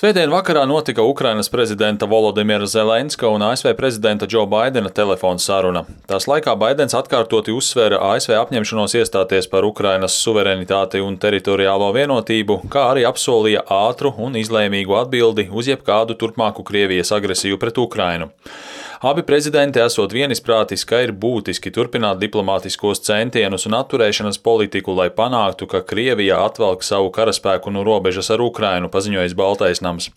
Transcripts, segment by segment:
Svētdien vakarā notika Ukrainas prezidenta Volodimira Zelenska un ASV prezidenta Džo Baidena telefona saruna. Tās laikā Baidens atkārtoti uzsvēra ASV apņemšanos iestāties par Ukrainas suverenitāti un teritoriālo vienotību, kā arī apsolīja ātru un izlēmīgu atbildi uz jebkādu turpmāku Krievijas agresiju pret Ukrainu. Abi prezidenti esot vienisprātis, ka ir būtiski turpināt diplomātiskos centienus un atturēšanas politiku, lai panāktu, ka Krievija atvelk savu karaspēku no robežas ar Ukrainu, paziņojis Baltais nams.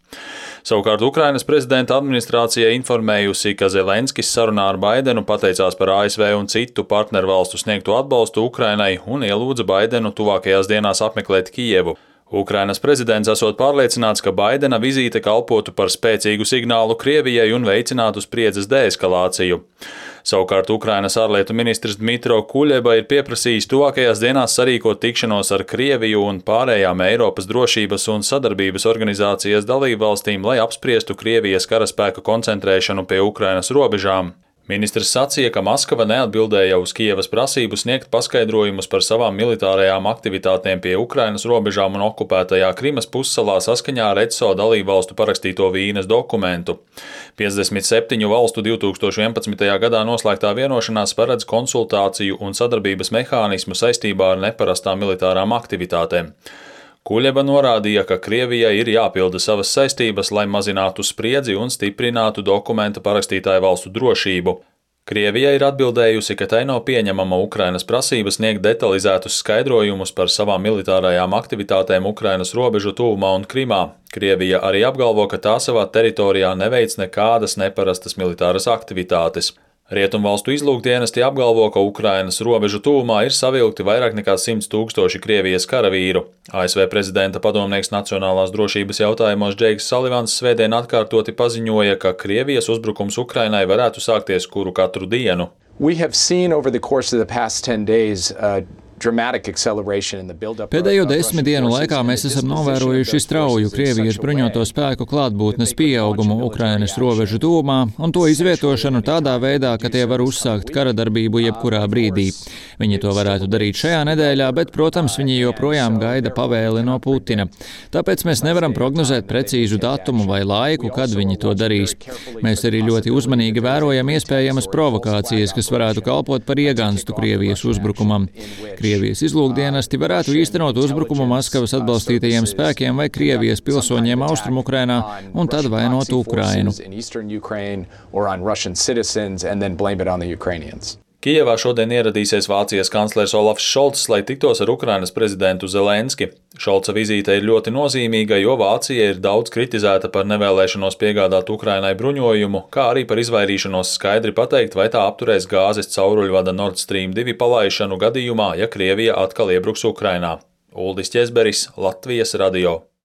Savukārt Ukrainas prezidenta administrācija informējusi, ka Zelenskis sarunā ar Baidenu pateicās par ASV un citu partnervalstu sniegto atbalstu Ukrainai un ielūdza Baidenu tuvākajās dienās apmeklēt Kijevu. Ukrainas prezidents esot pārliecināts, ka Baidena vizīte kalpotu par spēcīgu signālu Krievijai un veicinātu spriedzes deeskalāciju. Savukārt Ukrainas ārlietu ministrs Dmitro Kuļeba ir pieprasījis tuvākajās dienās sarīkot tikšanos ar Krieviju un pārējām Eiropas drošības un sadarbības organizācijas dalībvalstīm, lai apspriestu Krievijas karaspēka koncentrēšanu pie Ukrainas robežām. Ministrs sacīja, ka Maskava neatbildēja uz Kijevas prasību sniegt paskaidrojumus par savām militārajām aktivitātēm pie Ukrainas robežām un okupētajā Krimas pussalā saskaņā ar ECO dalībvalstu parakstīto Vīnes dokumentu. 57 valstu 2011. gadā noslēgtā vienošanās paredz konsultāciju un sadarbības mehānismu saistībā ar neparastām militārām aktivitātēm. Kuļeba norādīja, ka Krievijai ir jāpilda savas saistības, lai mazinātu spriedzi un stiprinātu dokumenta parakstītāju valstu drošību. Krievija ir atbildējusi, ka tai nav pieņemama Ukrainas prasība sniegt detalizētus skaidrojumus par savām militārajām aktivitātēm Ukrainas robežu tuvumā un Krimā. Krievija arī apgalvo, ka tā savā teritorijā neveic nekādas neparastas militāras aktivitātes. Rietumvalstu izlūkdienesti apgalvo, ka Ukrainas robežu tuvumā ir savilkti vairāk nekā 100 000 Krievijas karavīru. ASV prezidenta padomnieks nacionālās drošības jautājumos Džeiks Salivans svētdien atkārtoti paziņoja, ka Krievijas uzbrukums Ukrainai varētu sākties kuru katru dienu. Pēdējo 10 dienu laikā mēs esam novērojuši strauju Krievijas bruņoto spēku klātbūtnes pieaugumu Ukrainas robežu tuvumā un to izvietošanu tādā veidā, ka tie var uzsākt karadarbību jebkurā brīdī. Viņi to varētu darīt šajā nedēļā, bet, protams, viņi joprojām gaida pavēli no Putina. Tāpēc mēs nevaram prognozēt precīzu datumu vai laiku, kad viņi to darīs. Mēs arī ļoti uzmanīgi vērojam iespējamas provokācijas, kas varētu kalpot par iegānstu Krievijas uzbrukumam. Krievijas izlūkdienesti varētu īstenot uzbrukumu Maskavas atbalstītajiem spēkiem vai Krievijas pilsoņiem Austrumukrainā un tad vainot Ukrainu. Kijevā šodien ieradīsies Vācijas kanclers Olafs Šolts, lai tiktos ar Ukrainas prezidentu Zelenski. Šolca vizīte ir ļoti nozīmīga, jo Vācija ir daudz kritizēta par nevēlēšanos piegādāt Ukrainai bruņojumu, kā arī par izvairīšanos skaidri pateikt, vai tā apturēs gāzes cauruļvada Nord Stream 2 palaišanu gadījumā, ja Krievija atkal iebruks Ukrainā. Uldis Ķezberis, Latvijas radio.